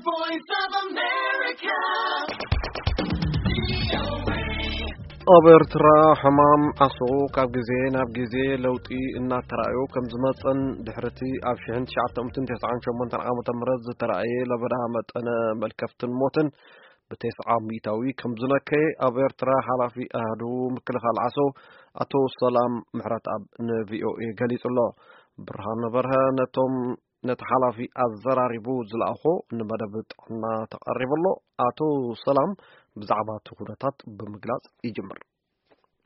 Voice of America. ኣብ ኤርትራ ሕማም ዓሶ ካብ ግዜ ናብ ግዜ ለውጢ እናተራእዮ ከም ዝመጸን ድሕርቲ ኣብ ሽሕን ትሽዓተ ሚእትን ተስዓን ሸሞንተን ዓመተ ምህረት ዝተራእየ ለበዳ መጠነ መልከፍትን ሞትን ብተስዓ ሚእታዊ ከም ዝነከየ ኣብ ኤርትራ ሓላፊ ኣሃዱ ምክልኻል ዓሶ ኣቶ ሰላም ምሕረትኣብ ንቪኦኤ ገሊጹ ኣሎ። ብርሃነ በርሀ ነቶም ነቲ ሓላፊ ኣዘራሪቡ ዝለኣኾ ንመደብ ጥዕና ተቐሪቡ ኣሎ። ኣቶ ሰላም ብዛዕባ እቲ ኩነታት ብምግላጽ ይጅምር።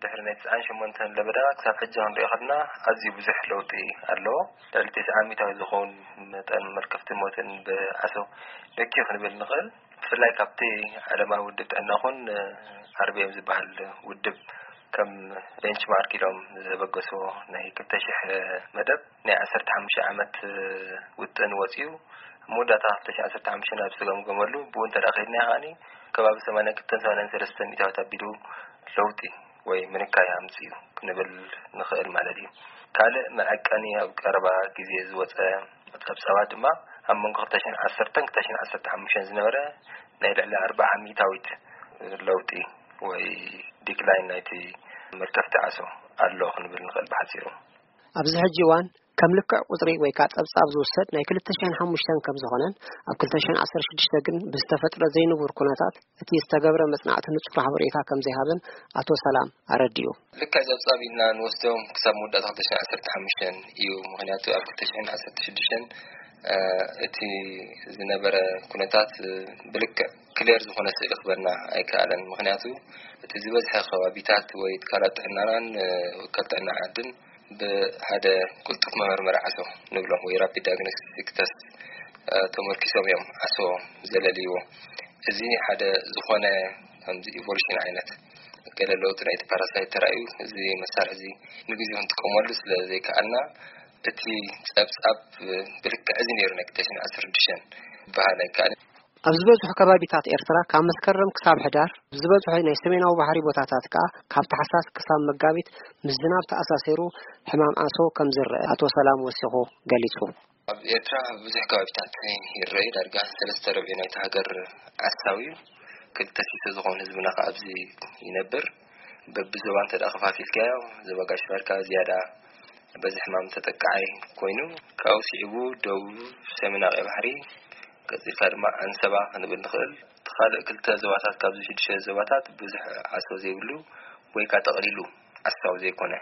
ድሕሪ ናይ ትስዓን ሸሞንተን ለበዳ ክሳብ ሕጂ ክንሪኦ ከለና ኣዝዩ ብዙሕ ለውጢ ኣለዎ። ልዕሊ ተስዓ ሚእታዊ ዝኸውን መጠን መልከፍቲ ሞትን ብዓሶ ነኪ ክንብል ንኽእል። ብፍላይ ካብቲ ዓለማዊ ውድብ ጥዕና ኹን ኣርቢኤም ዝበሃል ውድብ ከም ቤንችማርክ ኢሎም ዘበገስዎ ናይ ክልተ ሽሕ መደብ ናይ ዓሰርተ ሓሙሽተ ዓመት ውጥን ወፂኡ። ኣብ መወዳእታ ክልተ ሽሕ ዓሰርተ ሓሙሽተ ናብ ዝተገምገመሉ ብኡ እንተ ደኣ ከይድና ከኣኒ ከባቢ ሰማንያን ክልተን ሰማንያን ሰለስተን ሚእታዊት ኣቢሉ ለውጢ ወይ ምንካይ ኣምፅኡ ክንብል ንኽእል ማለት እዩ። ካልእ መዐቀኒ ኣብ ቀረባ ግዜ ዝወፀ ጸብጻባት ድማ ኣብ መንጎ ክልተ ሽሕን ዓሰርተን ክልተ ሽሕን ዓሰርተ ሓሙሽተን ዝነበረ ናይ ልዕሊ ኣርብዓ ሚእታዊት ለውጢ ወይ ዲክላይን ናይቲ መልከፍቲ ዓሶ ኣሎ ክንብል ንኽእል ብሓጺሩ። ኣብዚ ሕጂ እዋን ከም ልክዕ ቁጽሪ ወይ ከኣ ጸብጻብ ዝውሰድ ናይ ክልተ ሽሕን ሓሙሽተን ከም ዝኾነን ኣብ ክልተ ሽሕን ዓሰርተ ሽዱሽተ ግን ብዝተፈጥረ ዘይንቡር ኩነታት እቲ ዝተገብረ መጽናዕቲ ንጹር ሓበሬታ ከም ዘይሃበን ኣቶ ሰላም ኣረዲኡ። ልክዕ ጸብጻብ ኢልና ንወስዶም ክሳብ መወዳእታ ክልተ ሽሕን ዓሰርተ ሓሙሽተን እዩ። ምኽንያቱ ኣብ ክልተ ሽሕን ዓሰርተ ሽዱሽተን እቲ ዝነበረ ኩነታት ብልክዕ ክሊር ዝኾነ ስእሊ ክበና ኣይከኣለን። ምኽንያቱ እቲ ዝበዝሐ ከባቢታት ወይ ትካላት ጥዕናናን ወከል ጥዕና ዓድን ብሓደ ቅልጡፍ መመርመሪ ዓሶ ንብሎ ወይ ራፒድ ዳያግኖስቲክ ተስት ተመርኪሶም እዮም ዓሶ ዘለልይዎ። እዚ ሓደ ዝኾነ ከምዚ ኢቮሉሽን ዓይነት ገለ ለውጢ ናይቲ ፓራሳይት ተራእዩ፣ እዚ መሳርሒ እዚ ንግዜኡ ክንጥቀመሉ ስለ ዘይከኣልና፣ እቲ ጸብጻብ ብልክዕ እዚ ነይሩ ናይ ክልተ ሽሕን ዓሰርተ ሽዱሽተን ዝበሃል ኣይከኣልን። ኣብ ዝበዝሑ ከባቢታት ኤርትራ ካብ መስከረም ክሳብ ሕዳር፣ ኣብ ዝበዝሑ ናይ ሰሜናዊ ባሕሪ ቦታታት ከኣ ካብ ታሕሳስ ክሳብ መጋቢት ምስ ዝናብ ተኣሳሲሩ ሕማም ዓሶ ከም ዝረአ ኣቶ ሰላም ወሲኹ ገሊጹ። ኣብ ኤርትራ ኣብ ብዙሕ ከባቢታት ይረኣዩ። ዳርጋ ሰለስተ ርብዒ ናይቲ ሃገር ዓሳዊ እዩ። ክልተ ሲሶ ዝኾን ህዝብና ከኣ ኣብዚ ይነብር። በብዞባ እንተ ደኣ ከፋፊልካዮ፣ ዞባ ጋሽ ባርካ ዝያዳ በዚ ሕማም ተጠቃዓይ ኮይኑ፣ ካብኡ ስዒቡ ደቡብ ሰሜን ቀይሕ ባሕሪ፣ ቀጺልካ ድማ ኣንሰባ ክንብል ንኽእል። እቲ ካልእ ክልተ ዞባታት ካብዚ ሽዱሽተ ዞባታት ብዙሕ ዓሶ ዘይብሉ ወይ ከኣ ጠቕሊሉ ዓሳዊ ዘይኮነ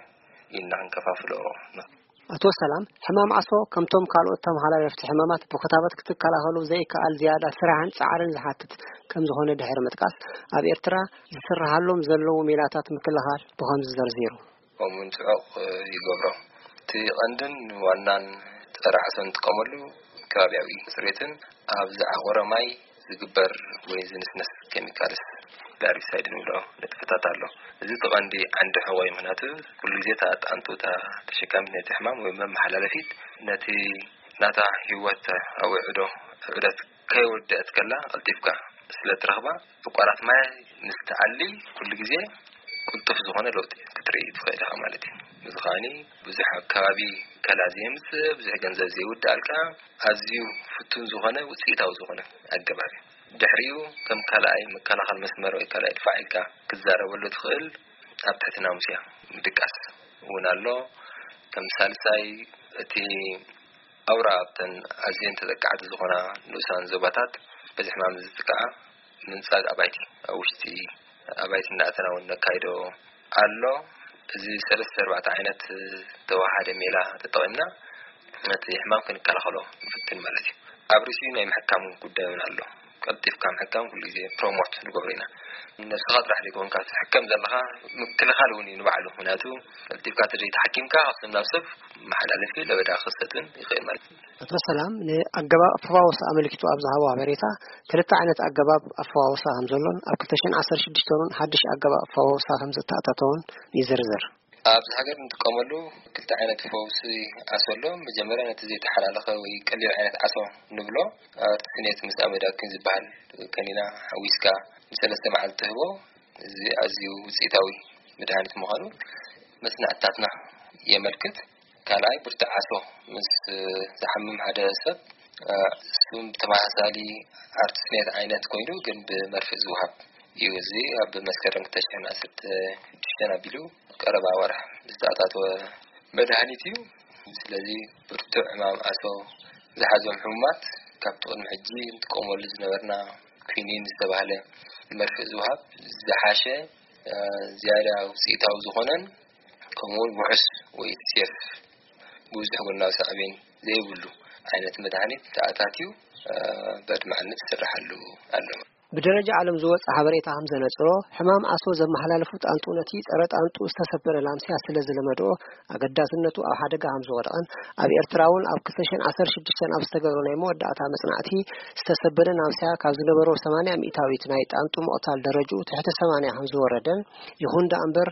ኢልና ክንከፋፍሎ ንኽእል። ኣቶ ሰላም፣ ሕማም ዓሶ ከምቶም ካልኦት ተመሓላለፍቲ ሕማማት ብክታበት ክትከላኸሎ ዘይከኣል ዝያዳ ስራሕን ጻዕርን ዝሓትት ከም ዝኾነ ድሕሪ ምጥቃስ፣ ኣብ ኤርትራ ዝስርሓሎም ዘለዉ ሜላታት ምክልኻል ብኸምዚ ዘርዚሩ። ከምኡውን ጽዑቕ ይገብሮ። እቲ ቀንድን ዋናን ጸረ ዓሶ እንጥቀመሉ ከባቢያዊ ጽሬትን ኣብ ዝዓቖረ ማይ ዝግበር ወይ ዝንስነስ ኬሚካልስ ላሪሳይድ ንብሎ ንጥፈታት ኣሎ። እዚ እቲ ቀንዲ ዓንዲ ሕቖ እዩ። ምኽንያቱ ኩሉ ግዜ እታ ጣንጡ፣ እታ ተሸካሚት ናይቲ ሕማም ወይ መመሓላለፊት ነቲ ናታ ህይወት ኣውዕዶ ዑደት ከይወደአት ከላ ቀልጢፍካ ስለ ትረኽባ፣ ዕቋራት ማይ ምስ ትኣሊ ኩሉ ግዜ ቅልጡፍ ዝኾነ ለውጢ ክትርኢ ትኽእል ኢኻ ማለት እዩ። እዚ ከኣኒ ብዙሕ ኣብ ከባቢ ከላ ዘየምጽእ፣ ብዙሕ ገንዘብ ዘይውድኣልካ፣ ኣዝዩ ፍቱን ዝኾነ ውጽኢታዊ ዝኾነ ኣገባብ እዩ። ድሕሪኡ ከም ካልኣይ መከላኸል መስመር ወይ ካልኣይ ድፋዕ ኢልካ ክትዛረበሉ ትኽእል ኣብ ትሕቲ ናሙስያ ምድቃስ እውን ኣሎ። ከም ሳልሳይ እቲ ኣውራ ኣብተን ኣዝየን ተጠቃዕቲ ዝኾና ንኡሳን ዞባታት በዚ ሕማም ዝጥቃዓ ምንጻግ ኣባይቲ ኣብ ውሽጢ ኣባይቲ እንዳእተና እውን ነካይዶ ኣሎ። እዚ ሰለስተ ኣርባዕተ ዓይነት ተወሃደ ሜላ ተጠቒምና ነቲ ሕማም ክንከላኸሎ ንፍትን ማለት እዩ። ኣብ ርእሲኡ ናይ ምሕካም ጉዳይ እውን ኣሎ። ቀልጢፍካ ምሕካም ኩሉ ግዜ ፕሮሞት ንገብሮ ኢና። ነብስኻ ጥራሕ ዘይኮንካ ትሕከም ዘለኻ ምክልኻል እውን እዩ ንባዕሉ። ምኽንያቱ ቀልጢፍካ ተዘይተሓኪምካ ካብ ሰብ ናብ ሰብ መሓላለፊ ለበዳ ክኸሰትን ይኽእል ማለት እዩ። ኣቶ ሰላም ንኣገባብ ኣፈዋውሳ ኣመልኪቱ ኣብ ዝሃቦ ሓበሬታ፣ ክልተ ዓይነት ኣገባብ ኣፈዋውሳ ከም ዘሎን ኣብ ክልተ ሽሕን ዓሰርተ ሽዱሽተን እውን ሓድሽ ኣገባብ ኣፈዋውሳ ከም ዝተኣታተወን ይዝርዝር። ኣብዚ ሃገር እንጥቀመሉ ክልተ ዓይነት ፈውሲ ዓሶ ኣሎ። መጀመርያ ነቲ ዘይተሓላለኸ ወይ ቀሊል ዓይነት ዓሶ ንብሎ፣ ኣርቲስኔት ምስ ኣመዳኪን ዝበሃል ከኒና ሓዊስካ ንሰለስተ መዓልቲ ትህቦ። እዚ ኣዝዩ ውፅኢታዊ መድሃኒት ምዃኑ መስናዕትታትና የመልክት። ካልኣይ ብርቱዕ ዓሶ ምስ ዝሓምም ሓደ ሰብ እሱም ተመሳሳሊ ኣርትስሜት ዓይነት ኮይኑ ግን ብመርፍእ ዝወሃብ እዩ። እዚ ኣብ መስከረም ክልተ ሽሕን ዓሰርተ ሽዱሽተን ኣቢሉ ቀረባ ወርሕ ዝተኣታተወ መድሃኒት እዩ። ስለዚ ብርቱዕ ሕማም ኣሶ ዝሓዞም ሕሙማት ካብቲ ቅድሚ ሕጂ ንጥቀመሉ ዝነበርና ኩኒን ዝተባህለ መርፍእ ዝወሃብ ዝሓሸ ዝያዳ ውፅኢታዊ ዝኾነን ከምኡውን ውሑስ ወይ ሴፍ ብዙሕ ጎናዊ ሳዕቤን ዘይብሉ ዓይነት መድሃኒት ተኣታትዩ በድማዕነት ይስራሓሉ ኣሎ። ብደረጃ ዓለም ዝወፀ ሓበሬታ ከም ዘነፅሮ ሕማም ኣሶ ዘመሓላለፉ ጣንጡ ነቲ ፀረ ጣንጡ ዝተሰበረ ላምስያ ስለ ዝለመድኦ ኣገዳስነቱ ኣብ ሓደጋ ከም ዝወደቐን ኣብ ኤርትራ እውን ኣብ ክልተ ሽሕን ዓሰርተ ሽዱሽተን ኣብ ዝተገብረ ናይ መወዳእታ መፅናዕቲ ዝተሰበረ ላምስያ ካብ ዝነበሮ ሰማንያ ሚእታዊት ናይ ጣንጡ ምቕታል ደረጅኡ ትሕቲ ሰማንያ ከም ዝወረደን ይኹን ደኣ እምበር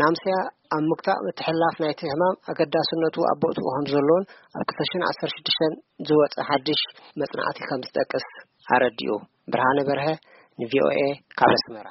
ናምስያ ኣብ ምግታእ ምትሕልላፍ ናይቲ ሕማም ኣገዳስነቱ ኣብ ቦትኡ ከም ዘሎን ኣብ ክልተ ሽሕን ዓሰርተ ሽዱሽተን ዝወፀ ሓድሽ መፅናዕቲ ከም ዝጠቅስ ኣረዲኡ። ብርሃነ በርሀ ንቪኦኤ ካብ ኣስመራ።